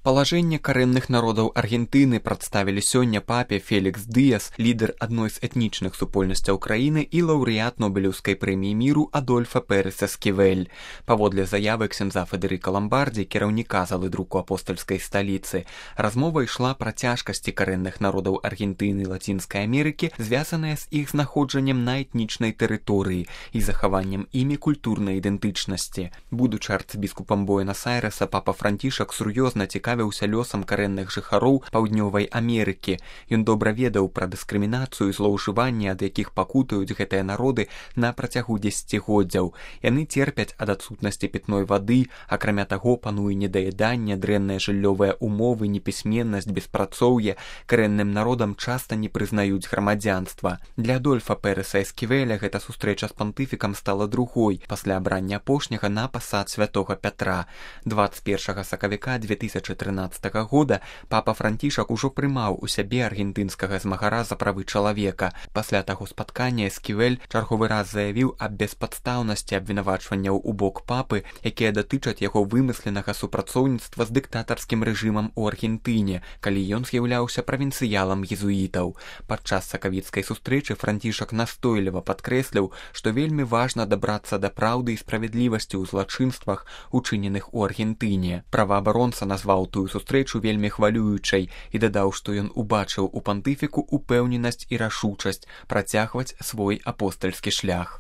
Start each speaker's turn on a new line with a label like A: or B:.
A: Палажэнне карэнных народаў Аргентыны прадставілі сёння папе Фелікс Дыяс, лідар адной з этнічных супольнасцяў краіны і лаўрэат Нобелеўскай прэміі міру Адольфа Пérez Эсківель. Паводле заявы ксяндза Федэрыка Ламбардзі, кіраўніка залы друку апостальскай сталіцы, размова ішла пра цяжкасці карэнных народаў Аргентыны і Лацінскай Амерыкі, звязаныя з іх знаходжаннем на этнічнай тэрыторыі і захаваннем імі культурнай ідэнтычнасці. Будучы арцыбіскупам Буэнас-Айрэса, папа Францішак сур'ёзна цікавіўся лёсам карэнных жыхароў Паўднёвай Амерыкі. Ён добра ведаў пра дыскрымінацыю і злоўжыванні, ад якіх пакутаюць гэтыя народы на працягу дзесяцігоддзяў. Яны церпяць ад адсутнасці пітной вады, акрамя таго пануе недаеданне, дрэнныя жыллёвыя умовы, непісьменнасць, беспрацоўе. Карэнным народам часта не прызнаюць грамадзянства. Для Адольфа Пэрэса Эсківеля гэта сустрэча з пантыфікам стала другой пасля абрання апошняга на пасад святога Пятра. 21 сакавіка 2013 года папа Францішак ужо прымаў у сябе аргентынскага змагара за правы чалавека. Пасля таго спаткання Эсківель чарговы раз заявіў аб беспадстаўнасці абвінавачванняў у бок папы, якія датычаць яго вымысленага супрацоўніцтва з дыктатарскім рэжымам у Аргентыне, калі ён з'яўляўся правінцыялам езуітаў. Падчас сакавіцкай сустрэчы Францішак настойліва падкрэсліў, што вельмі важна дабрацца да праўды і справядлівасці ў злачынствах, учыненых у Аргентыне. Праваабаронца назваў тую сустрэчу вельмі хвалюючай і дадаў, што ён убачыў у пантыфіку упэўненасць і рашучасць працягваць свой апостальскі шлях.